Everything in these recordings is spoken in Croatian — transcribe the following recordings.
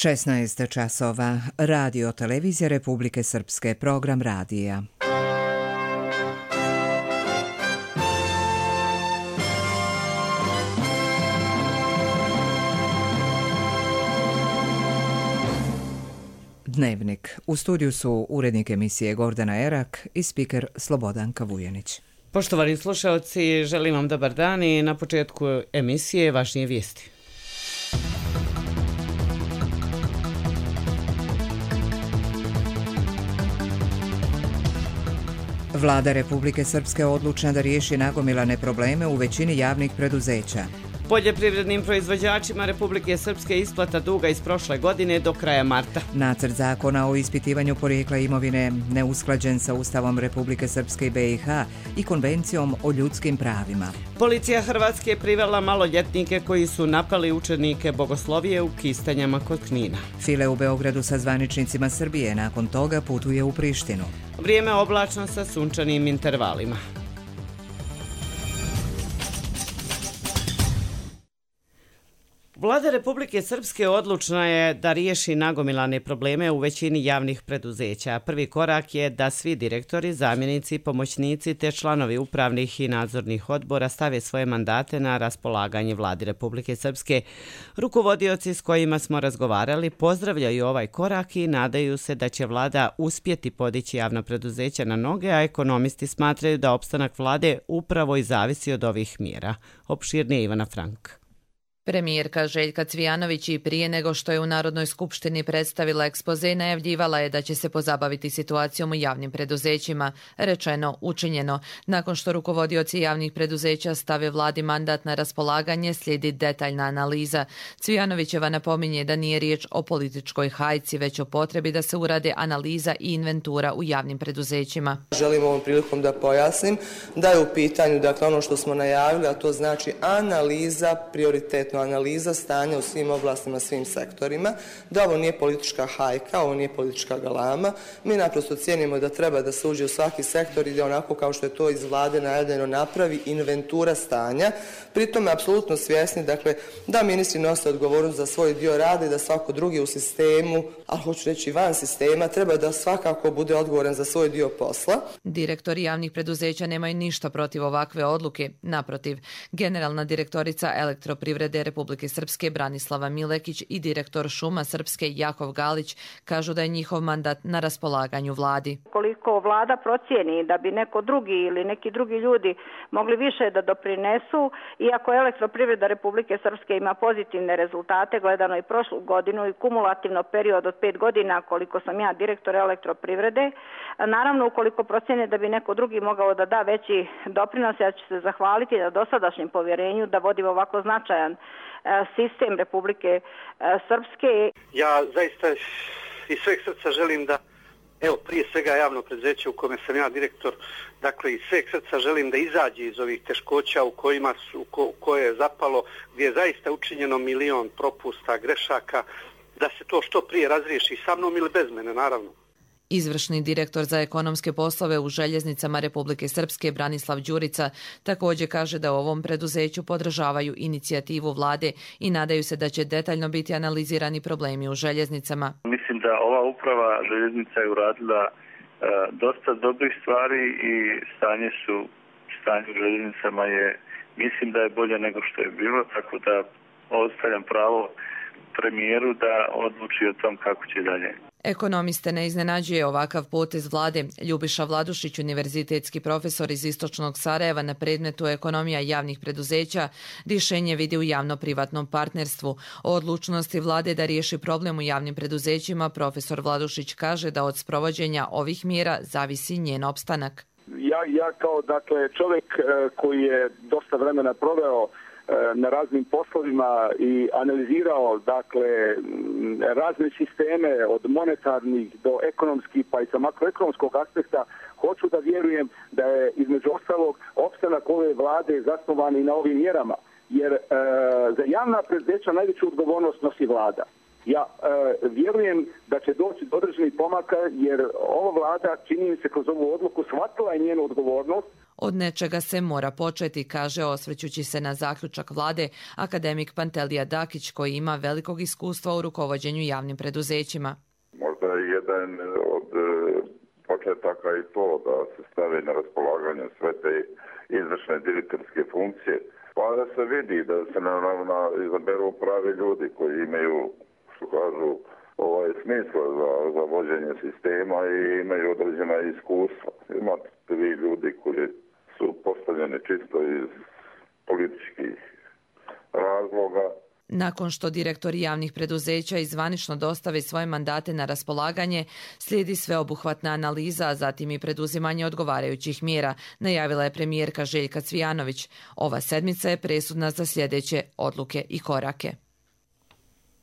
16 časova. Radio Televizija Republike Srpske. Program radija. Dnevnik. U studiju su urednik emisije Gordana Erak i spiker Slobodanka Vujanić. Poštovani slušalci, želim vam dobar dan i na početku emisije važnije vijesti. Vlada Republike Srpske odlučna da riješi nagomilane probleme u većini javnih preduzeća. Poljoprivrednim proizvođačima Republike Srpske isplata duga iz prošle godine do kraja marta. Nacrt zakona o ispitivanju porijekla imovine neusklađen sa Ustavom Republike Srpske i BiH i Konvencijom o ljudskim pravima. Policija Hrvatske privela maloljetnike koji su napali učenike bogoslovije u Kistanjama kod Knina. File u Beogradu sa zvaničnicima Srbije nakon toga putuje u Prištinu. Vrijeme oblačno sa sunčanim intervalima. Vlada Republike Srpske odlučna je da riješi nagomilane probleme u većini javnih preduzeća. Prvi korak je da svi direktori, zamjenici, pomoćnici te članovi upravnih i nadzornih odbora stave svoje mandate na raspolaganje Vladi Republike Srpske. Rukovodioci s kojima smo razgovarali pozdravljaju ovaj korak i nadaju se da će Vlada uspjeti podići javna preduzeća na noge, a ekonomisti smatraju da opstanak Vlade upravo i zavisi od ovih mjera. Opširnije Ivana Frank. Premijerka Željka Cvijanović i prije nego što je u Narodnoj skupštini predstavila ekspoze, najavljivala je da će se pozabaviti situacijom u javnim preduzećima. Rečeno, učinjeno. Nakon što rukovodioci javnih preduzeća stave Vladi mandat na raspolaganje, slijedi detaljna analiza. Cvijanovićeva napominje da nije riječ o političkoj hajci, već o potrebi da se urade analiza i inventura u javnim preduzećima. Želim ovom prilikom da pojasnim da je u pitanju ono što smo najavili, a to znači analiza, prioritetno analiza stanja u svim oblastima, svim sektorima, da ovo nije politička hajka, ovo nije politička galama. Mi naprosto cijenimo da treba da se uđe u svaki sektor i da onako kao što je to iz Vlade najavljeno napravi inventura stanja. Pritom je apsolutno svjesni da ministri nose odgovornost za svoj dio rada i da svako drugi u sistemu, a hoću reći van sistema, treba da svakako bude odgovoran za svoj dio posla. Direktori javnih preduzeća nemaju ništa protiv ovakve odluke. Naprotiv, generalna direktorica Elektroprivrede Republike Srpske Branislava Milekić i direktor Šuma Srpske Jakov Galić kažu da je njihov mandat na raspolaganju Vladi. Koliko Vlada procijeni da bi neko drugi ili neki drugi ljudi mogli više da doprinesu, iako Elektroprivreda Republike Srpske ima pozitivne rezultate, gledano i prošlu godinu i kumulativno period od 5 godina koliko sam ja direktor Elektroprivrede, naravno ukoliko procijene da bi neko drugi mogao da da veći doprinos, ja ću se zahvaliti na dosadašnjem povjerenju da vodim ovako značajan sistem Republike Srpske. Ja zaista iz sveg srca želim da, prije svega javno preduzeće u kome sam ja direktor, iz sveg srca želim da izađe iz ovih teškoća u koje je zapalo, gdje je zaista učinjeno milion propusta, grešaka, da se to što prije razriješi sa mnom ili bez mene, naravno. Izvršni direktor za ekonomske poslove u Željeznicama Republike Srpske Branislav Đurica također kaže da u ovom preduzeću podržavaju inicijativu Vlade i nadaju se da će detaljno biti analizirani problemi u željeznicama. Mislim da ova uprava željeznica je uradila dosta dobrih stvari i stanje u željeznicama mislim da je bolje nego što je bilo, tako da ostavljam pravo premijeru da odluči o tom kako će dalje. Ekonomiste ne iznenađuje ovakav potez Vlade. Ljubiša Vladušić, univerzitetski profesor iz Istočnog Sarajeva na predmetu ekonomija javnih preduzeća, rješenje vidi u javno-privatnom partnerstvu. O odlučnosti Vlade da riješi problem u javnim preduzećima profesor Vladušić kaže da od sprovođenja ovih mjera zavisi njen opstanak. Ja kao čovjek koji je dosta vremena proveo na raznim poslovima i analizirao razne sisteme od monetarnih do ekonomskih pa i sa makroekonomskog aspekta, hoću da vjerujem da je između ostalog opstanak ove Vlade zasnovan i na ovim mjerama, jer za javna preduzeća najveću odgovornost nosi Vlada. Ja vjerujem da će doći do određenih pomaka jer ova vlada, čini mi se, kroz ovu odluku shvatila je njenu odgovornost. Od nečega se mora početi, kaže, osvrćući se na zaključak vlade, akademik Pantelija Dakić, koji ima velikog iskustva u rukovođenju javnim preduzećima. Možda je jedan od početaka i to da se stave na raspolaganje sve te izvršne direktorske funkcije, pa da se vidi da se naravno izaberu pravi ljudi koji imaju, što kažu, smisla za vođenje sistema i imaju određena iskustva. Imate vi ljudi koji su postavljeni čisto iz političkih razloga. Nakon što direktori javnih preduzeća i zvanično dostave svoje mandate na raspolaganje, slijedi sveobuhvatna analiza, a zatim i preduzimanje odgovarajućih mjera, najavila je premijerka Željka Cvijanović. Ova sedmica je presudna za sljedeće odluke i korake.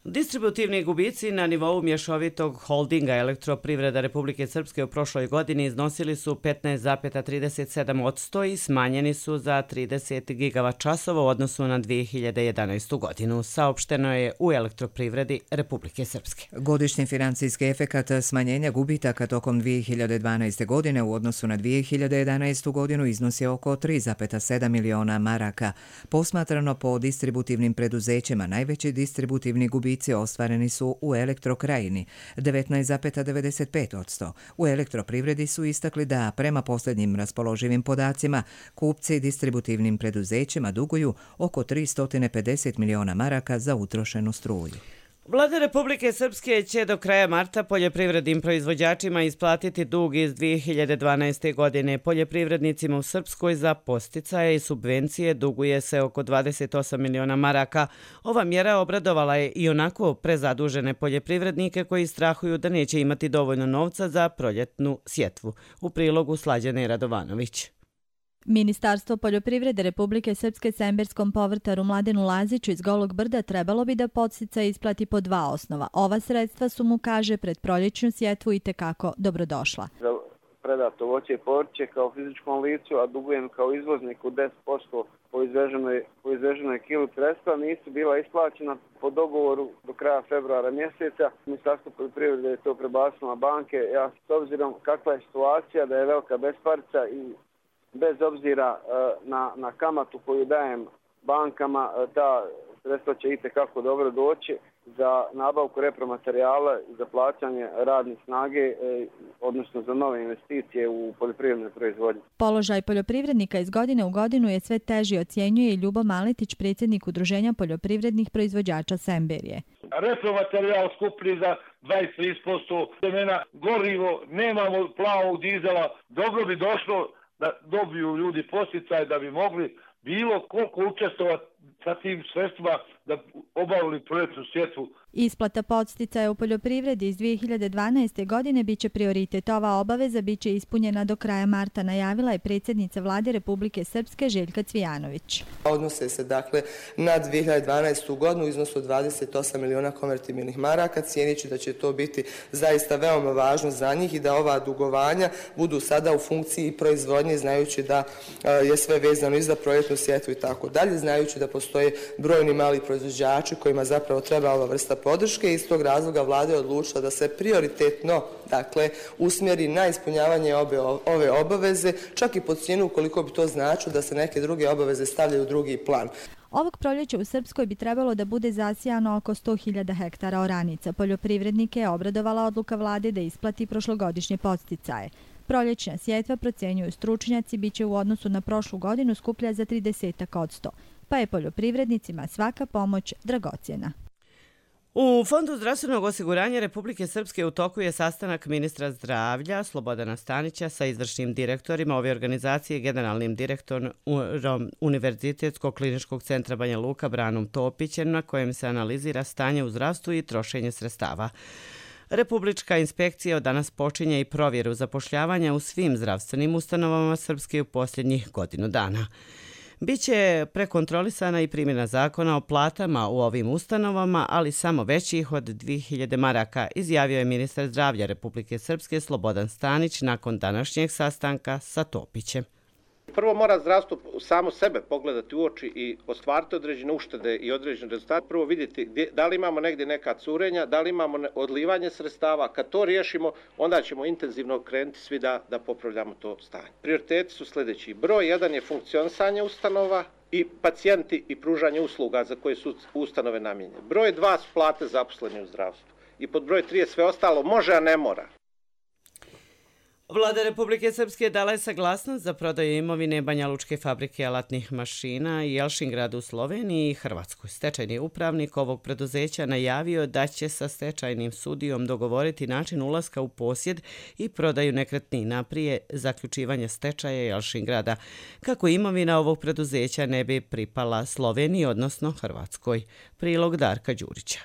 Distributivni gubici na nivou mješovitog holdinga Elektroprivreda Republike Srpske u prošloj godini iznosili su 15,37% i smanjeni su za 30 gigavačasova u odnosu na 2011. godinu, saopšteno je u Elektroprivredi Republike Srpske. Godišnji financijski efekat smanjenja gubitaka tokom 2012. godine u odnosu na 2011. godinu iznosi oko 3,7 miliona maraka. Posmatrano po distributivnim preduzećima, najveći distributivni gubici ostvareni su u Elektrokrajini 19,95%. U Elektroprivredi su istakli da prema posljednjim raspoloživim podacima kupci distributivnim preduzećima duguju oko 350 miliona maraka za utrošenu struju. Vlada Republike Srpske će do kraja marta poljoprivrednim proizvođačima isplatiti dug iz 2012. godine. Poljoprivrednicima u Srpskoj za podsticaje i subvencije duguje se oko 28 miliona maraka. Ova mjera obradovala je i onako prezadužene poljoprivrednike koji strahuju da neće imati dovoljno novca za proljetnu sjetvu. U prilogu Slađane Radovanović. Ministarstvo poljoprivrede Republike Srpske Semberskom povrtaru Mladenu Laziću iz Golog Brda trebalo bi da podsticaj isplati po dva osnova. Ova sredstva su mu, kaže, pred proljećnu sjetvu itekako dobrodošla. Za predato voće i povrće kao fizičkom licu, a dugujem kao izvozniku 10% po izveženoj kilu sredstva, nisu bila isplaćena po dogovoru do kraja februara mjeseca. Ministarstvo poljoprivrede je to prebacilo na banke. Ja s obzirom kakva je situacija, da je velika besparica i bez obzira na kamatu koju dajem bankama, ta sredstva će itekako dobro doći za nabavku repromaterijala i za plaćanje radne snage, odnosno za nove investicije u poljoprivrednoj proizvodnji. Položaj poljoprivrednika iz godine u godinu je sve teži, ocjenjuje i Ljubo Maletić, predsjednik Udruženja poljoprivrednih proizvođača Semberije. Repromaterijal skuplji za 20-30%, semena, gorivo, nemamo plavog dizela, dobro bi došlo da dobiju ljudi podsticaj da bi mogli bilo koliko učestovati sa tim sredstvima da obavili proljetnu sjetvu. Isplata podsticaja u poljoprivredi iz 2012. godine biće prioritet. Ova obaveza biće ispunjena do kraja marta, najavila je predsjednica Vlade Republike Srpske Željka Cvijanović. Odnose se dakle na 2012. godinu u iznosu 28 miliona konvertibilnih maraka, cijenići da će to biti zaista veoma važno za njih i da ova dugovanja budu sada u funkciji proizvodnje, znajući da je sve vezano i za proljetnu sjetvu i tako dalje, znajući da postoje brojni mali proizvođači kojima zapravo treba ova vrsta podrške. Iz tog razloga vlada je odlučila da se prioritetno usmjeri na ispunjavanje ove obaveze, čak i po cijenu ukoliko bi to značilo da se neke druge obaveze stavljaju u drugi plan. Ovog proljeća u Srpskoj bi trebalo da bude zasijano oko 100.000 hektara oranica. Poljoprivrednike je obradovala odluka vlade da isplati prošlogodišnje podsticaje. Proljećna sjetva, procenjuju stručnjaci, biće u odnosu na prošlu godinu skuplja za 30%, pa je poljoprivrednicima svaka pomoć dragocjena. U Fondu zdravstvenog osiguranja Republike Srpske u toku je sastanak ministra zdravlja Slobodana Stanića sa izvršnim direktorima ove organizacije i generalnim direktorom Univerzitetskog kliničkog centra Banja Luka Branom Topićem, na kojem se analizira stanje u zdravstvu i trošenje sredstava. Republička inspekcija od danas počinje i provjeru zapošljavanja u svim zdravstvenim ustanovama Srpske u posljednjih godinu dana. Biće prekontrolisana i primjena zakona o platama u ovim ustanovama, ali samo većih od 2000 maraka, izjavio je ministar zdravlja Republike Srpske Slobodan Stanić nakon današnjeg sastanka sa Topićem. Prvo mora zdravstvo samo sebe pogledati u oči i ostvariti određene uštede i određene rezultate. Prvo vidjeti da li imamo negdje neka curenja, da li imamo odlivanje sredstava. Kad to riješimo, onda ćemo intenzivno krenuti svi da popravljamo to stanje. Prioriteti su sljedeći. Broj 1 je funkcionisanje ustanova i pacijenti i pružanje usluga za koje su ustanove namijenjene. Broj 2 su plate zaposleni u zdravstvu. I pod broj 3 je sve ostalo može, a ne mora. Vlada Republike Srpske dala je saglasnost za prodaju imovine Banjalučke fabrike alatnih mašina i Jelšingradu u Sloveniji i Hrvatskoj. Stečajni upravnik ovog preduzeća najavio da će sa stečajnim sudijom dogovoriti način ulaska u posjed i prodaju nekretnina prije zaključivanja stečaja Jelšingrada, kako imovina ovog preduzeća ne bi pripala Sloveniji, odnosno Hrvatskoj. Prilog Darka Đurića.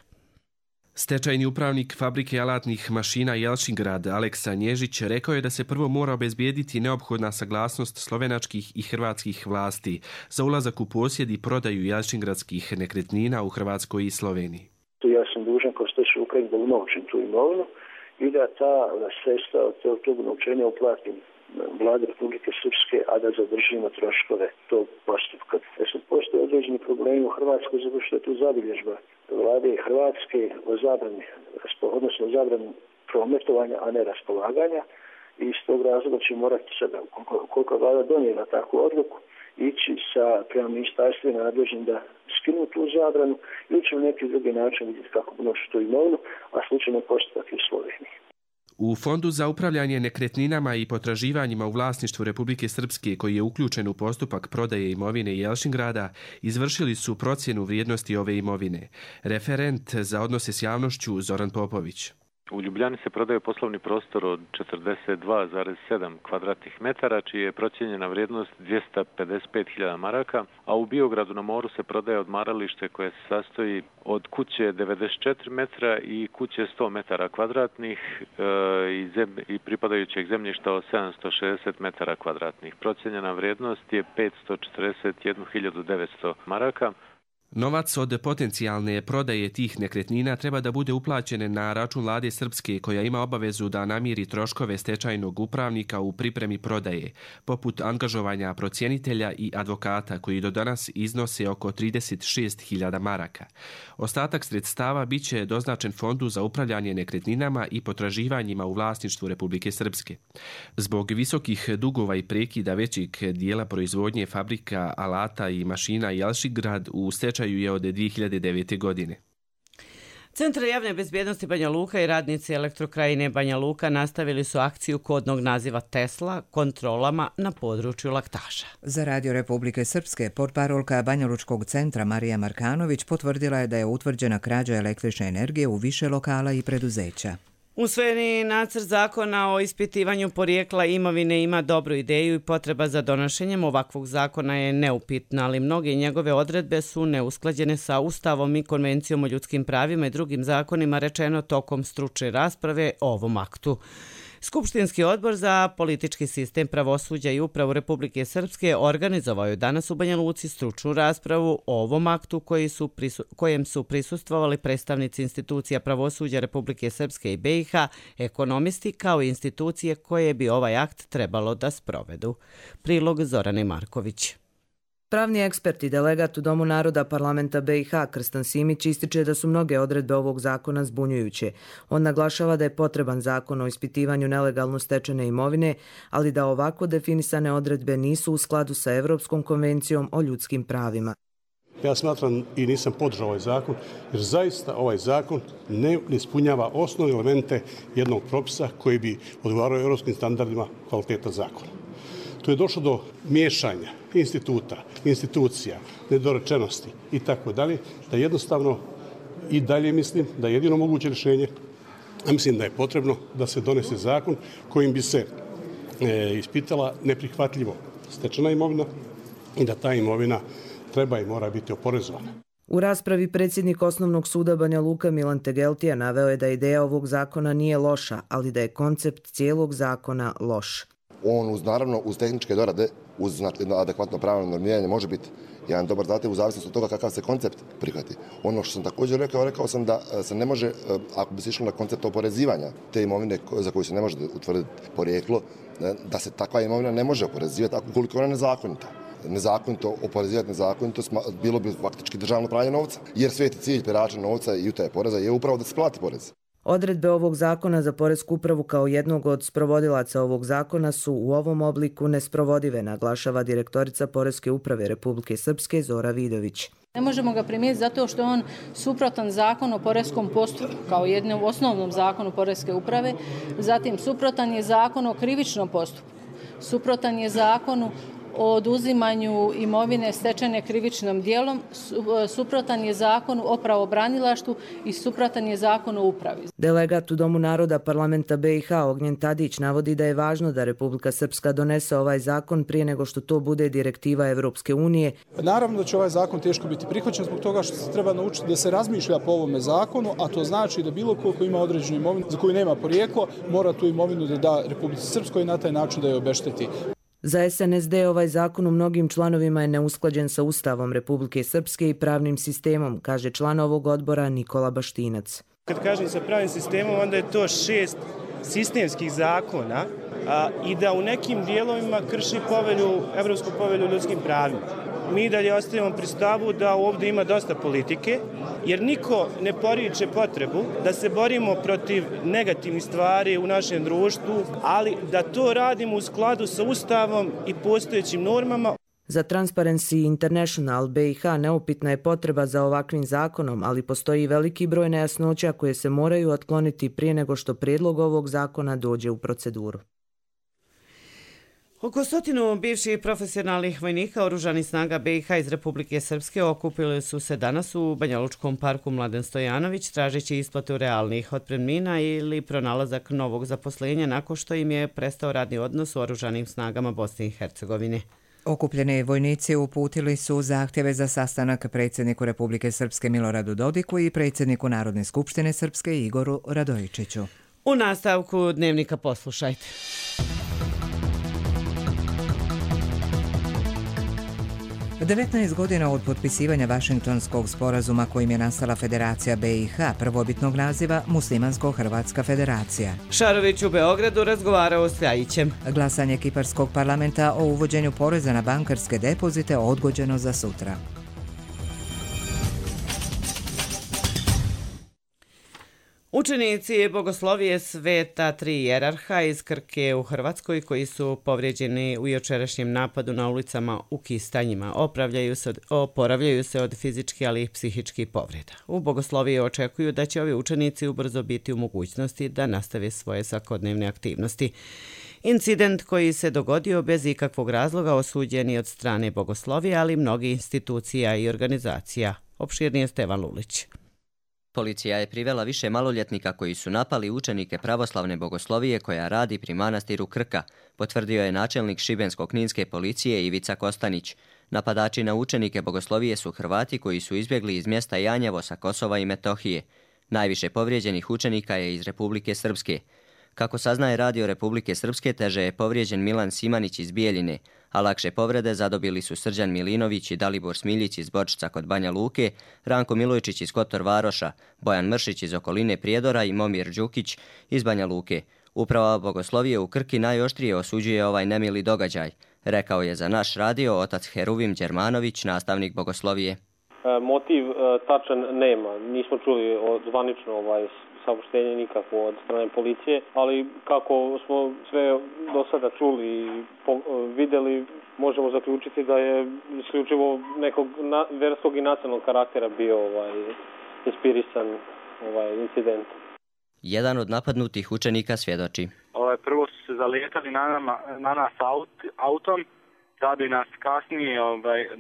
Stečajni upravnik fabrike alatnih mašina Jelšingrad Aleksa Nježić rekao je da se prvo mora obezbijediti neophodna saglasnost slovenačkih i hrvatskih vlasti za ulazak u posjed i prodaju jelšingradskih nekretnina u Hrvatskoj i Sloveniji. Ja sam dužan kao stečajni upravnik da unovčim tu imovinu i da ta sredstva od tog unovčenja uplatim Vlade Republike Srpske, a da zadržimo troškove tog postupka. Postoje određeni problemi u Hrvatskoj zato što je tu zabilježba Vlade Hrvatske o zabrani, odnosno zabrani prometovanja, a ne raspolaganja. I iz tog razloga će morati sada, koliko Vlada donijela takvu odluku, ići prema ministarstvima nadležnim da skinu tu zabranu ili će u neki drugi način vidjeti kako unošu tu imovinu, a slučajno postupak u Sloveniji. U Fondu za upravljanje nekretninama i potraživanjima u vlasništvu Republike Srpske, koji je uključen u postupak prodaje imovine Jelšingrada, izvršili su procjenu vrijednosti ove imovine. Referent za odnose s javnošću Zoran Popović. U Ljubljani se prodaje poslovni prostor od 42,7 kvadratnih metara, čija je procijenjena vrijednost 255.000 maraka, a u Biogradu na moru se prodaje odmaralište koje se sastoji od kuće 94 metra i kuće 100 metara kvadratnih i pripadajućeg zemljišta od 760 metara kvadratnih. Procijenjena vrijednost je 541.900 maraka. Novac od potencijalne prodaje tih nekretnina treba da bude uplaćen na račun Vlade Srpske, koja ima obavezu da namiri troškove stečajnog upravnika u pripremi prodaje, poput angažovanja procjenitelja i advokata, koji do danas iznose oko 36.000 maraka. Ostatak sredstava bit će doznačen Fondu za upravljanje nekretninama i potraživanjima u vlasništvu Republike Srpske. Zbog visokih dugova i prekida većeg dijela proizvodnje fabrika alata i mašina Jelšingrad u stečaju je od 2009. godine. Centar javne bezbjednosti Banja Luka i radnici Elektrokrajine Banja Luka nastavili su akciju kodnog naziva Tesla kontrolama na području laktaža. Za Radio Republike Srpske portparolka Banjalučkog centra Marija Markanović potvrdila je da je utvrđena krađa električne energije u više lokala i preduzeća. Usvojeni nacrt zakona o ispitivanju porijekla imovine ima dobru ideju i potreba za donošenjem ovakvog zakona je neupitna, ali mnoge njegove odredbe su neusklađene sa Ustavom i Konvencijom o ljudskim pravima i drugim zakonima, rečeno tokom stručne rasprave o ovom aktu. Skupštinski odbor za politički sistem, pravosuđa i upravu Republike Srpske organizovao je danas u Banja Luci stručnu raspravu o ovom aktu kojem su prisustvovali predstavnici institucija pravosuđa Republike Srpske i BiH, ekonomisti kao i institucije koje bi ovaj akt trebalo da sprovedu. Prilog Zorane Marković. Pravni ekspert i delegat u Domu naroda parlamenta BiH Krstan Simić ističe da su mnoge odredbe ovog zakona zbunjujuće. On naglašava da je potreban zakon o ispitivanju nelegalno stečene imovine, ali da ovako definisane odredbe nisu u skladu sa Evropskom konvencijom o ljudskim pravima. Ja smatram i nisam podržao ovaj zakon, jer zaista ovaj zakon ne ispunjava osnovne elemente jednog propisa koji bi odgovarao evropskim standardima kvaliteta zakona. Tu je došlo do miješanja institucija, nedorečenosti i tako dalje, da jednostavno i dalje mislim da je jedino moguće rješenje, a mislim da je potrebno da se donese zakon kojim bi se ispitala neprihvatljivo stečena imovina i da ta imovina treba i mora biti oporezovana. U raspravi predsjednik Osnovnog suda Banja Luka Milan Tegeltija naveo je da ideja ovog zakona nije loša, ali da je koncept cijelog zakona loš. On naravno uz tehničke dorade, uz adekvatno pravno normiranje može biti jedan dobar zadatak u zavisnosti od toga kakav se koncept prihvati. Ono što sam također rekao sam da se ne može, ako bi se išlo na koncept oporezivanja te imovine za koju se ne može utvrditi porijeklo, da se takva imovina ne može oporezivati ukoliko ona je nezakonita. Nezakonito oporezivati nezakonito bilo bi faktički državno pranje novca, jer sveti cilj perača novca i utaje poreza je upravo da se plati porez. Odredbe ovog zakona za Poresku upravu kao jednog od sprovodilaca ovog zakona su u ovom obliku nesprovodive, naglašava direktorica Poreske uprave Republike Srpske Zora Vidović. Ne možemo ga primijeniti zato što je on suprotan zakonu o poreskom postupku kao jednom osnovnom zakonu Poreske uprave, zatim suprotan je zakon o krivičnom postupku, suprotan je zakonu o oduzimanju imovine stečene krivičnim djelom, suprotan je zakonu o pravobranilaštvu i suprotan je zakon o upravi. Delegat u Domu naroda parlamenta BiH Ognjen Tadić navodi da je važno da Republika Srpska donese ovaj zakon prije nego što to bude direktiva Evropske unije. Naravno da će ovaj zakon teško biti prihvaćen zbog toga što se treba naučiti da se razmišlja po ovome zakonu, a to znači da bilo ko ima određenu imovinu za koju nema porijeklo, mora tu imovinu da da Republici Srpskoj i na taj način da je obešteti. Za SNSD ovaj zakon u mnogim članovima je neusklađen sa Ustavom Republike Srpske i pravnim sistemom, kaže član ovog odbora Nikola Baštinac. Kad kažem sa pravnim sistemom, onda je to 6 sistemskih zakona i da u nekim dijelovima krši Evropsku povelju o ljudskim pravima. Mi dalje ostavimo pri stavu da ovdje ima dosta politike, jer niko ne poriče potrebu da se borimo protiv negativnih stvari u našem društvu, ali da to radimo u skladu sa Ustavom i postojećim normama. Za Transparency International BiH neupitna je potreba za ovakvim zakonom, ali postoji veliki broj nejasnoća koje se moraju otkloniti prije nego što prijedlog ovog zakona dođe u proceduru. Oko 100 bivših profesionalnih vojnika Oružanih snaga BiH iz Republike Srpske okupili su se danas u Banjalučkom parku Mladen Stojanović tražeći isplatu realnih otpremnina ili pronalazak novog zaposlenja nakon što im je prestao radni odnos u Oružanim snagama Bosne i Hercegovine. Okupljeni vojnici uputili su zahtjeve za sastanak predsjedniku Republike Srpske Miloradu Dodiku i predsjedniku Narodne skupštine Srpske Igoru Radojičiću. U nastavku dnevnika poslušajte. U 19 godina od potpisivanja Vašingtonskog sporazuma kojim je nastala Federacija BiH, prvobitnog naziva Muslimansko-Hrvatska federacija. Šarović u Beogradu razgovarao s Ljajićem. Glasanje Kiparskog parlamenta o uvođenju poreza na bankarske depozite odgođeno za sutra. Učenici bogoslovije Sveta Tri Jerarha iz Krke u Hrvatskoj koji su povrijeđeni u jučerašnjem napadu na ulicama u Kistanjima oporavljaju se od fizičkih ali i psihičkih povreda. U bogosloviji očekuju da će ovi učenici ubrzo biti u mogućnosti da nastave svoje svakodnevne aktivnosti. Incident koji se dogodio bez ikakvog razloga osuđen je od strane bogoslovije, ali mnogi institucija i organizacija. Opširnije Stevan Lulić. Policija je privela više maloljetnika koji su napali učenike pravoslavne bogoslovije koja radi pri manastiru Krka, potvrdio je načelnik Šibensko-kninske policije Ivica Kostanić. Napadači na učenike bogoslovije su Hrvati koji su izbjegli iz mjesta Janjevo sa Kosova i Metohije. Najviše povrijeđenih učenika je iz Republike Srpske. Kako saznaje Radio Republike Srpske, teže je povrijeđen Milan Simanić iz Bijeljine, a lakše povrede zadobili su Srđan Milinović i Dalibor Smiljić iz Bočica kod Banja Luke, Ranko Milojčić iz Kotor Varoša, Bojan Mršić iz okoline Prijedora i Momir Đukić iz Banja Luke. Uprava bogoslovije u Krki najoštrije osuđuje ovaj nemili događaj, rekao je za naš radio otac Heruvim Đermanović, nastavnik bogoslovije. Motiv tačan nema, nismo čuli zvanično saopštenje nikakvo od strane policije, ali kako smo sve do sada čuli i vidjeli, možemo zaključiti da je isključivo nekog verskog i nacionalnog karaktera bio inspirisan incident. Jedan od napadnutih učenika svjedoči. Prvo su se zalijetali na nas autom, da bi nas kasnije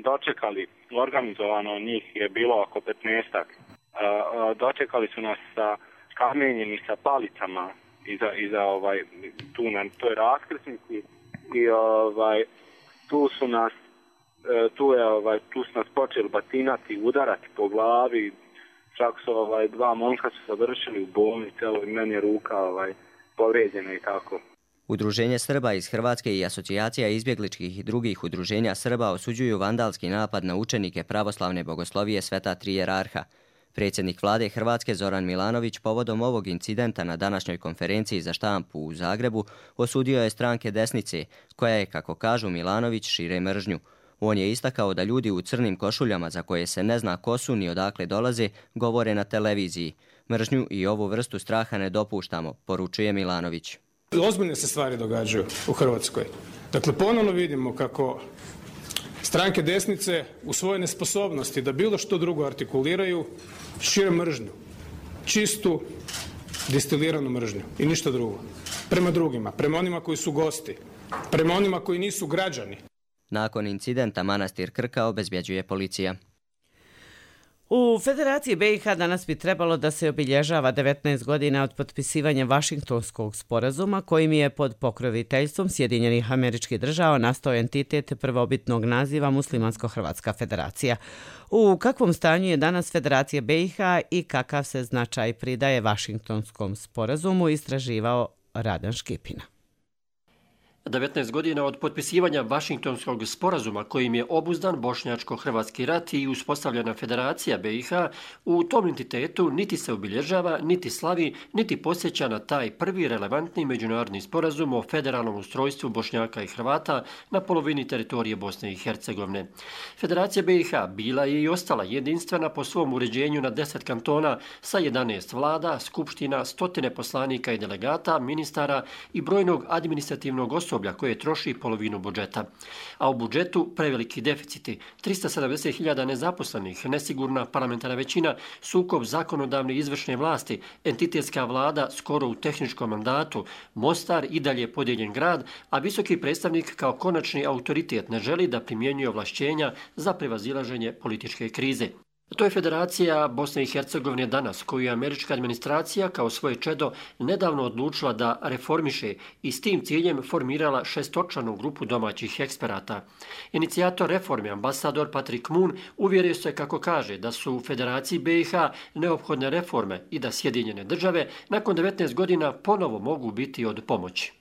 dočekali. Organizovano njih je bilo oko 15-ak. Dočekali su nas sa kamenjem i sa palicama iza tu na toj raskrsnici i tu su nas počeli batinati, udarati po glavi. Čak su dva momka su završili u bolnici, meni je ruka povrijeđena i tako. Udruženje Srba iz Hrvatske i asocijacija izbjegličkih i drugih udruženja Srba osuđuju vandalski napad na učenike pravoslavne bogoslovije Sveta Tri Jerarha. Predsjednik vlade Hrvatske Zoran Milanović povodom ovog incidenta na današnjoj konferenciji za štampu u Zagrebu osudio je stranke desnice, koja je, kako kažu Milanović, šire mržnju. On je istakao da ljudi u crnim košuljama za koje se ne zna ko su ni odakle dolaze, govore na televiziji. Mržnju i ovu vrstu straha ne dopuštamo, poručuje Milanović. Ozbiljne se stvari događaju u Hrvatskoj. Dakle, ponovno vidimo kako stranke desnice u svojoj nesposobnosti da bilo što drugo artikuliraju šire mržnju. Čistu, distiliranu mržnju i ništa drugo. Prema drugima, prema onima koji su gosti, prema onima koji nisu građani. Nakon incidenta manastir Krka obezbjeđuje policija. U Federaciji BiH danas bi trebalo da se obilježava 19 godina od potpisivanja Vašingtonskog sporazuma kojim je pod pokroviteljstvom Sjedinjenih Američkih Država nastao entitet prvobitnog naziva Muslimansko-Hrvatska federacija. U kakvom stanju je danas Federacija BiH i kakav se značaj pridaje Vašingtonskom sporazumu, istraživao Radan Škipina. 19 godina od potpisivanja Vašingtonskog sporazuma kojim je obuzdan bošnjačko-hrvatski rat i uspostavljena Federacija BiH, u tom entitetu niti se obilježava, niti slavi, niti posjeća na taj prvi relevantni međunarodni sporazum o federalnom ustrojstvu Bošnjaka i Hrvata na polovini teritorije Bosne i Hercegovine. Federacija BiH bila je i ostala jedinstvena po svom uređenju na 10 kantona sa 11 vlada, skupština, stotine poslanika i delegata, ministara i brojnog administrativnog osoblja koje troši polovinu budžeta. A u budžetu preveliki deficiti, 370.000 nezaposlenih, nesigurna parlamentarna većina, sukob zakonodavne i izvršne vlasti, entitetska vlada skoro u tehničkom mandatu, Mostar i dalje podijeljen grad, a visoki predstavnik kao konačni autoritet ne želi da primjenjuje ovlašćenja za prevazilaženje političke krize. To je Federacija Bosne i Hercegovine danas, koju je američka administracija kao svoje čedo nedavno odlučila da reformiše i s tim ciljem formirala šestočlanu grupu domaćih eksperata. Inicijator reforme, ambasador Patrick Moon, uvjerio se, kako kaže, da su u Federaciji BiH neophodne reforme i da Sjedinjene Države nakon 19 godina ponovo mogu biti od pomoći.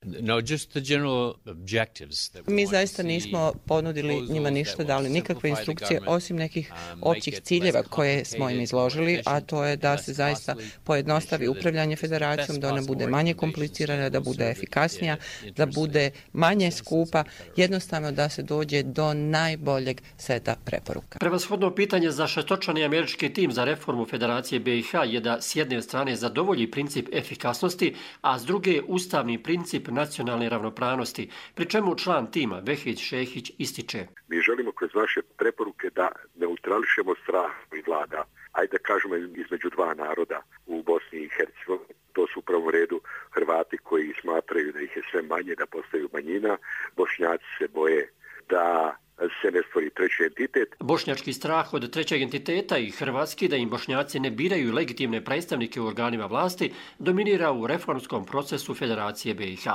Mi zaista nismo ponudili njima ništa, dali nikakve instrukcije osim nekih općih ciljeva koje smo im izložili, a to je da se zaista pojednostavi upravljanje federacijom, da ona bude manje komplicirana, da bude efikasnija, da bude manje skupa, jednostavno da se dođe do najboljeg seta preporuka. Prevashodno pitanje za šestočlani američki tim za reformu Federacije BiH je da s jedne strane zadovolji princip efikasnosti, a s druge ustavni princip nacionalne ravnopravnosti, pri čemu član tima Vehić Šehić ističe. Mi želimo kroz naše preporuke da neutrališemo strah i vlada, ajde da kažemo između dva naroda u Bosni i Hercegovini. To su u prvom redu Hrvati koji smatraju da ih je sve manje, da postaju manjina. Bošnjaci se boje da se ne stvori treći entitet. Bošnjački strah od trećeg entiteta i hrvatski da im Bošnjaci ne biraju legitimne predstavnike u organima vlasti dominira u reformskom procesu Federacije BiH.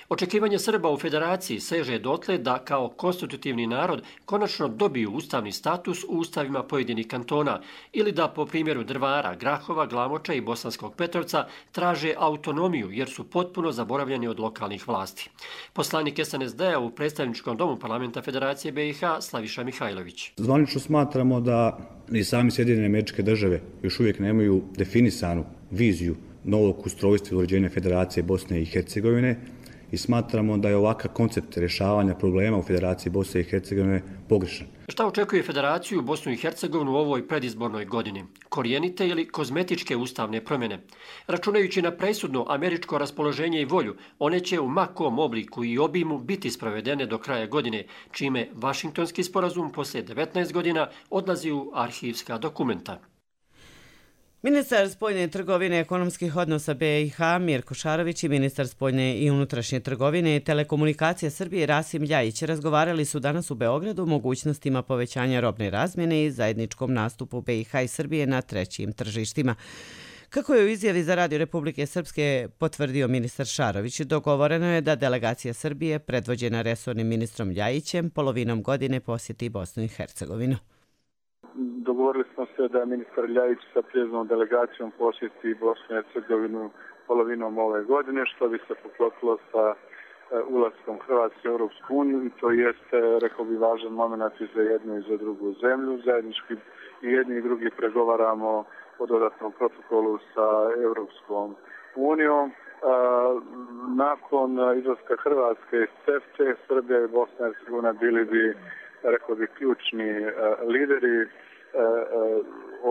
Očekivanje Srba u Federaciji seže dotle da kao konstitutivni narod konačno dobiju ustavni status u ustavima pojedinih kantona ili da po primjeru Drvara, Grahova, Glamoča i Bosanskog Petrovca traže autonomiju jer su potpuno zaboravljeni od lokalnih vlasti. Poslanik SNSD-a u predstavničkom domu parlamenta Federacije BiH Slaviša Mihajlović. Zvanično smatramo da i sami Sjedinjene Američke Države još uvijek nemaju definisanu viziju novog ustrojstva i uređenja Federacije Bosne i Hercegovine i smatramo da je ovakav koncept rješavanja problema u Federaciji Bosne i Hercegovine pogrešan. Šta očekuje Federaciju Bosnu i Hercegovinu u ovoj predizbornoj godini? Korijenite ili kozmetičke ustavne promjene? Računajući na presudno američko raspoloženje i volju, one će u ma kom obliku i obimu biti sprovedene do kraja godine, čime Vašingtonski sporazum poslije 19 godina odlazi u arhivska dokumenta. Ministar spoljne trgovine i ekonomskih odnosa BiH Mirko Šarović i ministar spoljne i unutrašnje trgovine i telekomunikacije Srbije Rasim Ljajić razgovarali su danas u Beogradu o mogućnostima povećanja robne razmjene i zajedničkom nastupu BiH i Srbije na trećim tržištima. Kako je u izjavi za Radio Republike Srpske potvrdio ministar Šarović, dogovoreno je da delegacija Srbije, predvođena resornim ministrom Ljajićem, polovinom godine posjeti Bosnu i Hercegovinu. Dogovorili smo se da ministar Ljajić sa prijeznom delegacijom posjeti Bosnu i Hercegovinu polovinom ove godine, što bi se poklopilo sa ulaskom Hrvatske u Europsku uniju i to jeste, rekao bi, važan moment i za jednu i za drugu zemlju. Zajednički i jedni i drugi pregovaramo o dodatnom protokolu sa Europskom unijom. Nakon izlaska Hrvatske iz CEFTA, Srbija i Bosna i Hercegovina bili bi, rekao bi, ključni lideri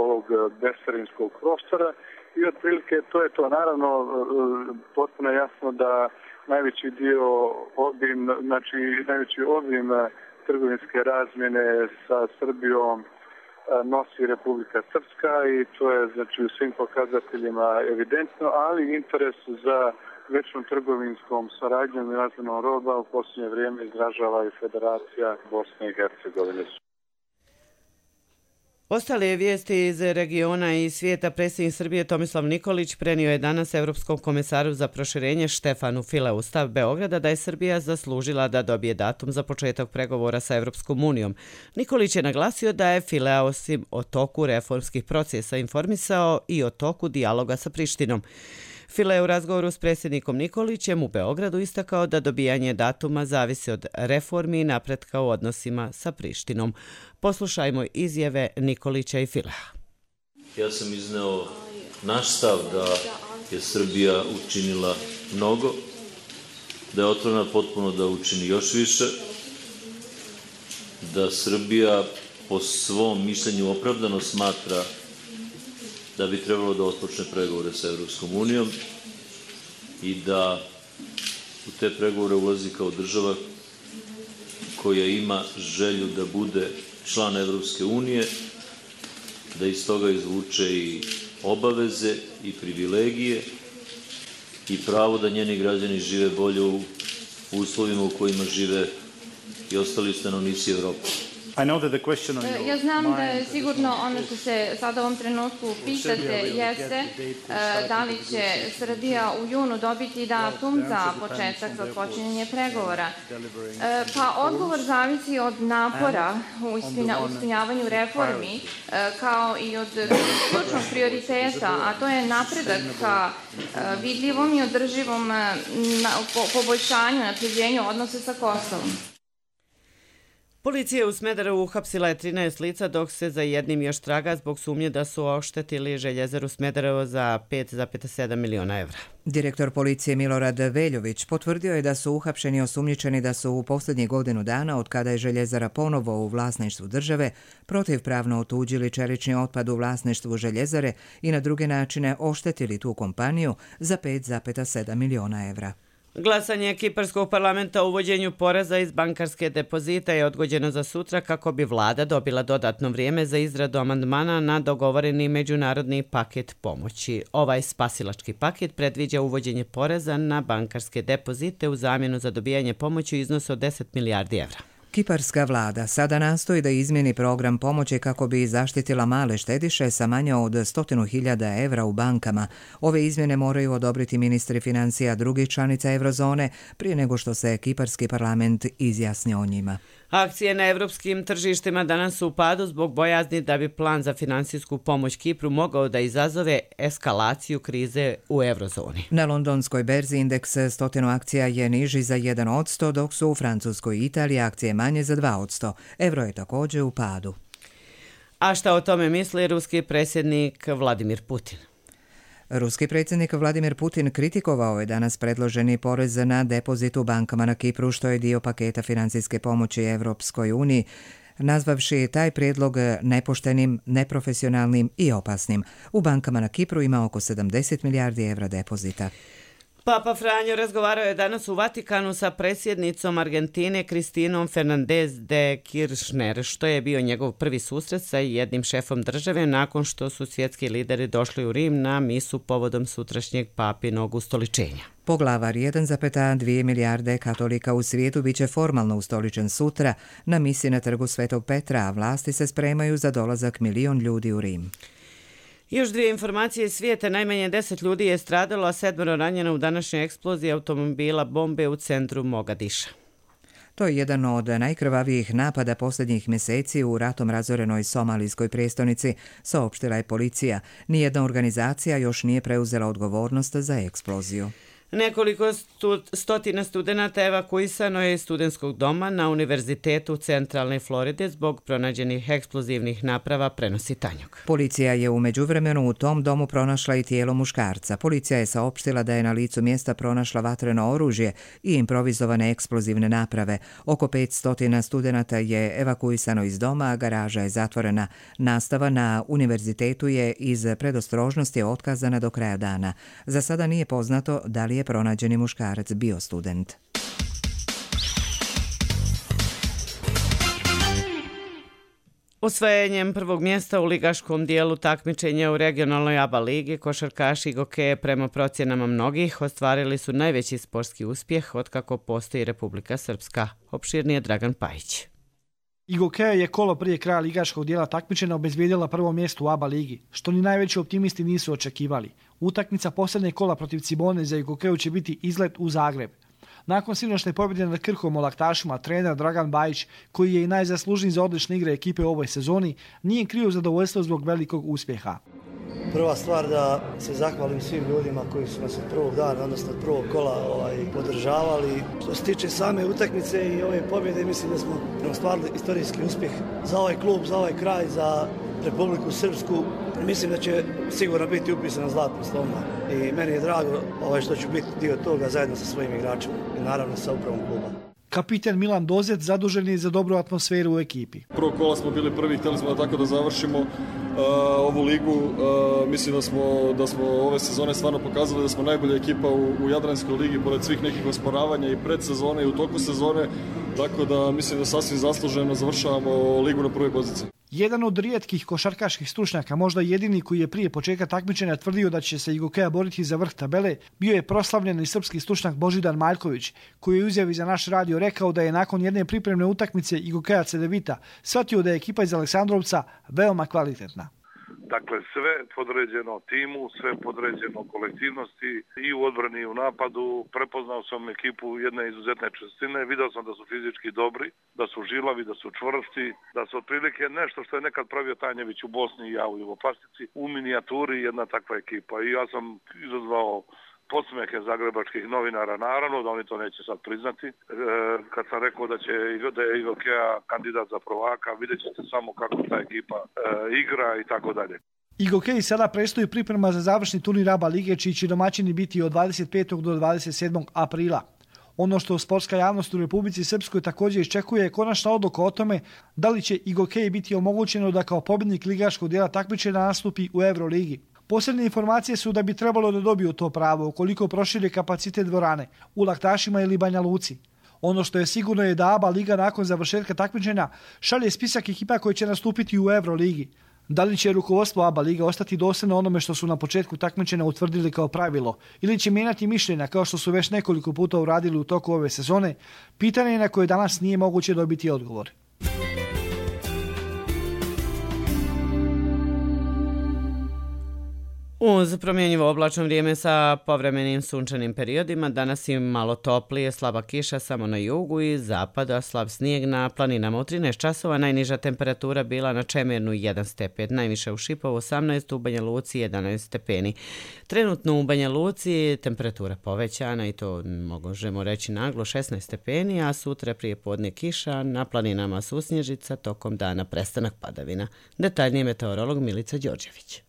ovog bescarinskog prostora i otprilike to je to. Naravno, potpuno jasno da najveći obim trgovinske razmjene sa Srbijom nosi Republika Srpska i to je u svim pokazateljima evidentno, ali interes za većom trgovinskom saradnjom i razmjenom roba u posljednje vrijeme izražava i Federacija Bosne i Hercegovine. Ostale vijesti iz regiona i svijeta. Predsjednik Srbije Tomislav Nikolić prenio je danas Evropskom komesaru za proširenje Štefanu Fileu stav Beograda da je Srbija zaslužila da dobije datum za početak pregovora sa Evropskom unijom. Nikolić je naglasio da je Filea osim o toku reformskih procesa informisao i o toku dijaloga sa Prištinom. File u razgovoru s predsjednikom Nikolićem u Beogradu istakao da dobijanje datuma zavisi od reformi i napretka u odnosima sa Prištinom. Poslušajmo izjave Nikolića i Filea. Ja sam izneo naš stav da je Srbija učinila mnogo, da je otvorena potpuno da učini još više, da Srbija po svom mišljenju opravdano smatra da bi trebalo da otpočne pregovore sa Evropskom unijom i da u te pregovore ulazi kao država koja ima želju da bude član Evropske unije, da iz toga izvuče i obaveze i privilegije i pravo da njeni građani žive bolje u uslovima u kojima žive i ostali stanovnici Evrope. Ja znam da je sigurno ono što se sada u ovom trenutku pitate jeste da li će Srbija u junu dobiti datum za početak za počinjenje pregovora. Pa odgovor zavisi od napora u ispunjavanju reformi kao i od ključnog prioriteta, a to je napredak ka vidljivom i održivom poboljšanju, napređenju odnose sa Kosovom. Policija u Smederevu uhapsila je 13 lica dok se za jednim još traga zbog sumnje da su oštetili Željezaru Smederevo za 5,7 miliona evra. Direktor policije Milorad Veljović potvrdio je da su uhapšeni osumnjičeni da su u posljednjih godinu dana od kada je Željezara ponovo u vlasništvu države protivpravno otuđili čelični otpad u vlasništvu Željezare i na druge načine oštetili tu kompaniju za 5,7 miliona evra. Glasanje Kiparskog parlamenta o uvođenju poreza iz bankarske depozita je odgođeno za sutra kako bi vlada dobila dodatno vrijeme za izradu amandmana na dogovoreni međunarodni paket pomoći. Ovaj spasilački paket predviđa uvođenje poreza na bankarske depozite u zamjenu za dobijanje pomoći u iznosu od 10 milijardi evra. Kiparska vlada sada nastoji da izmjeni program pomoći kako bi zaštitila male štediše sa manje od 100.000 evra u bankama. Ove izmjene moraju odobriti ministri financija drugih članica eurozone prije nego što se Kiparski parlament izjasni o njima. Akcije na evropskim tržištima danas su u padu zbog bojazni da bi plan za finansijsku pomoć Kipru mogao da izazove eskalaciju krize u eurozoni. Na londonskoj berzi indeks 100 akcija je niži za 1%, dok su u Francuskoj i Italiji akcije manje za 2%. Euro je također u padu. A šta o tome misli ruski predsjednik Vladimir Putin? Ruski predsjednik Vladimir Putin kritikovao je danas predloženi porez na depozit u bankama na Kipru, što je dio paketa financijske pomoći Evropskoj uniji, nazvavši taj prijedlog nepoštenim, neprofesionalnim i opasnim. U bankama na Kipru ima oko 70 milijardi evra depozita. Papa Franjo razgovarao je danas u Vatikanu sa predsjednicom Argentine Kristinom Fernández de Kirchner, što je bio njegov prvi susret sa jednim šefom države nakon što su svjetski lideri došli u Rim na misu povodom sutrašnjeg papinog ustoličenja. Poglavar 1,2 milijarde katolika u svijetu biće formalno ustoličen sutra na misi na trgu Svetog Petra, a vlasti se spremaju za dolazak 1 milion ljudi u Rim. Još dvije informacije iz svijeta. Najmanje 10 ljudi je stradalo, a 7 ranjeno u današnjoj eksploziji automobila bombe u centru Mogadiša. To je jedan od najkrvavijih napada posljednjih mjeseci u ratom razorenoj somalijskoj prijestolnici, saopštila je policija. Nijedna organizacija još nije preuzela odgovornost za eksploziju. Nekoliko stotina studenta evakuisano je iz studentskog doma na Univerzitetu Centralne Floride zbog pronađenih eksplozivnih naprava, prenosi Tanjug. Policija je u međuvremenu u tom domu pronašla i tijelo muškarca. Policija je saopštila da je na licu mjesta pronašla vatreno oružje i improvizovane eksplozivne naprave. Oko 500 studenata je evakuisano iz doma, a garaža je zatvorena. Nastava na univerzitetu je iz predostrožnosti otkazana do kraja dana. Za sada nije poznato da li je pronađeni muškarac bio student. Osvajanjem prvog mjesta u ligaškom dijelu takmičenja u regionalnoj ABA ligi, košarkaši Igokeje prema procjenama mnogih ostvarili su najveći sportski uspjeh otkako postoji Republika Srpska. Opširnije Dragan Pajić. Igokeja je kolo prije kraja ligaškog dijela takmičenja obezbijedila prvo mjesto u ABA ligi, što ni najveći optimisti nisu očekivali. Utakmica posljednje kola protiv Cibone za Igokeju će biti izlet u Zagreb. Nakon sinoćne pobjede nad Krkom u Laktašima, trener Dragan Bajić, koji je i najzaslužniji za odlične igre ekipe u ovoj sezoni, nije krio zadovoljstvo zbog velikog uspjeha. Prva stvar da se zahvalim svim ljudima koji su nas od prvog dana, odnosno od prvog kola podržavali. Što se tiče same utakmice i ove pobjede, mislim da smo ostvarili istorijski uspjeh za ovaj klub, za ovaj kraj, za Republiku Srpsku. Mislim da će sigurno biti upisano zlatno slovno i meni je drago što ću biti dio toga zajedno sa svojim igračima i naravno sa upravom kluba. Kapiten Milan Dozet zadužen je za dobru atmosferu u ekipi. Prvo kola smo bili prvi, htjeli smo da tako da završimo ovu ligu. Mislim da smo ove sezone stvarno pokazali da smo najbolja ekipa u Jadranskoj ligi pored svih nekih osporavanja i predsezone i u toku sezone. Tako da mislim da sasvim zasluženo završavamo ligu na prvoj poziciji. Jedan od rijetkih košarkaških stručnjaka, možda jedini koji je prije početka takmičenja tvrdio da će se Igokeja boriti za vrh tabele, bio je proslavljeni srpski stručnjak Božidar Maljković, koji je u izjavi za naš radio rekao da je nakon jedne pripremne utakmice Igokeja Cedevita shvatio da je ekipa iz Aleksandrovca veoma kvalitetna. Dakle, sve podređeno timu, sve podređeno kolektivnosti i u odbrani i u napadu. Prepoznao sam ekipu jedne izuzetne čvrstine, video sam da su fizički dobri, da su žilavi, da su čvrsti, da su otprilike nešto što je nekad pravio Tanjević u Bosni i ja u Jugoplastici, u minijaturi jedna takva ekipa. I ja sam izazvao podsmehe zagrebačkih novinara, naravno da oni to neće sad priznati. Kad sam rekao da je Igokeja kandidat za prvaka, vidjet ćete samo kako ta ekipa igra i tako dalje. Igokeji sada predstoji priprema za završni turnir ABA lige, čiji će domaćini biti od 25. do 27. aprila. Ono što sportska javnost u Republici Srpskoj također iščekuje je konačna odluka o tome da li će Igokeji biti omogućeno da kao pobjednik ligaškog dijela takmičenja nastupi u Euroligi. Posljednje informacije su da bi trebalo da dobiju to pravo ukoliko prošire kapacitet dvorane u Laktašima ili Banja Luci. Ono što je sigurno je da ABA liga nakon završetka takmičenja šalje spisak ekipa koji će nastupiti u Euroligi. Da li će rukovodstvo ABA liga ostati dosljedno onome što su na početku takmičenja utvrdili kao pravilo ili će mijenjati mišljenja kao što su već nekoliko puta uradili u toku ove sezone, pitanje je na koje danas nije moguće dobiti odgovor. Uz promjenjivo oblačno vrijeme sa povremenim sunčanim periodima, danas je malo toplije, slaba kiša samo na jugu i zapada, slab snijeg na planinama. U 13 časova najniža temperatura bila na Čemernu 1 stepen, najviše u Šipovu 18, u Banja Luci 11 stepeni. Trenutno u Banja Luci temperatura povećana i to možemo reći naglo 16 stepeni, a sutra prije podne kiša, na planinama susnježica, tokom dana prestanak padavina. Detaljnije meteorolog Milica Đorđević.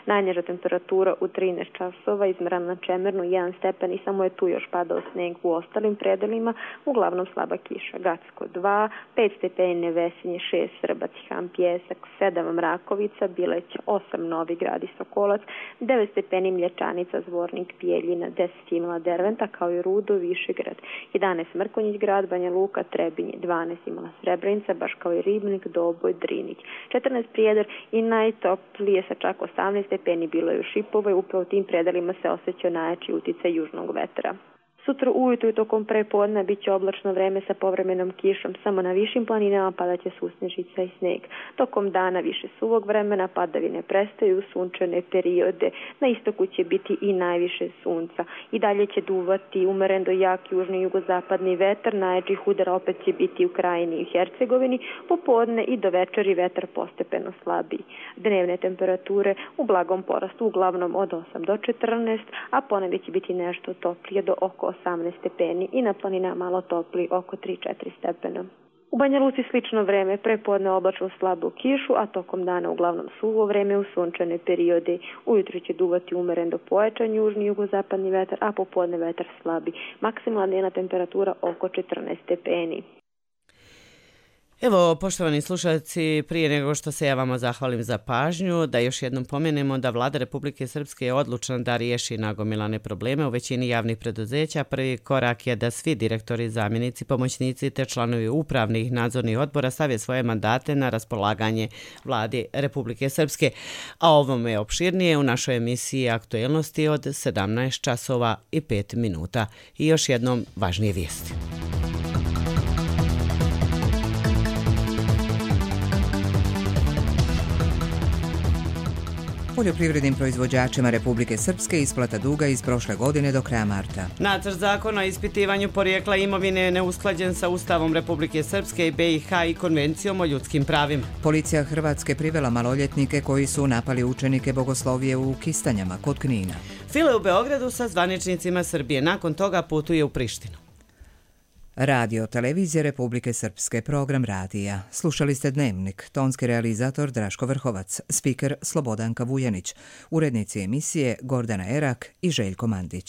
Najniža temperatura u 13 časova izmerana na Čemernu 1 stepen i samo je tu još padao sneg u ostalim predelima, uglavnom slaba kiša. Gacko 2, 5 stepeni Nevesinje, 6 Srbac, Ham, Pjesak, 7 Mrakovica, Bileć, 8 Novi Grad i Sokolac, 9 stepeni Mlječanica, Zvornik, Bijeljina, 10 Imala Derventa kao i Rudo, Višegrad, 11 Mrkonjić grad, Banja Luka, Trebinje, 12 Imala Srebrenica, baš kao i Ribnik, Doboj, Drinić, 14 Prijedor i najtoplije sa čak 18 stepeni bilo je u Šipovoj, upravo u tim predelima se osjećao najjači uticaj južnog vetra. Sutra ujutru i tokom prepodne bit će oblačno vreme sa povremenom kišom. Samo na višim planinama padaće susnežica i sneg. Tokom dana više suvog vremena, padavine prestaju, sunčane periode. Na istoku će biti i najviše sunca. I dalje će duvati umeren do jak južni jugozapadni vetar. Najjačih udara opet će biti u Krajini i Hercegovini. Popodne i do večeri vetar postepeno slabiji. Dnevne temperature u blagom porastu, uglavnom od 8 do 14, a ponegdje će biti nešto toplije do oko 18 stepeni i na planinama malo topli oko 3-4 stepena. U Banja Luci slično vreme, prepodne oblačno slabu kišu, a tokom dana uglavnom suvo vreme u sunčane periode. Ujutro će duvati umeren do pojačan južni jugozapadni vetar, a popodne vetar slabi. Maksimalna dnevna temperatura oko 14 stepeni. Evo, poštovani slušalci, prije nego što se ja vama zahvalim za pažnju, da još jednom pomenemo da Vlada Republike Srpske je odlučna da riješi nagomilane probleme u većini javnih preduzeća. Prvi korak je da svi direktori, zamjenici, pomoćnici te članovi upravnih nadzornih odbora stave svoje mandate na raspolaganje Vladi Republike Srpske. A ovome je opširnije u našoj emisiji Aktuelnosti od 17 časova i 5 minuta. I još jednom važnije vijesti. Poljoprivrednim proizvođačima Republike Srpske isplata duga iz prošle godine do kraja marta. Nacrt zakona o ispitivanju porijekla imovine je neusklađen sa Ustavom Republike Srpske i BiH i Konvencijom o ljudskim pravima. Policija Hrvatske privela maloljetnike koji su napali učenike bogoslovije u Kistanjama kod Knina. File u Beogradu sa zvaničnicima Srbije. Nakon toga putuje u Prištinu. Radio Televizije Republike Srpske, program radija. Slušali ste Dnevnik, tonski realizator Draško Vrhovac, spiker Slobodanka Vujanić, urednici emisije Gordana Erak i Željko Mandić.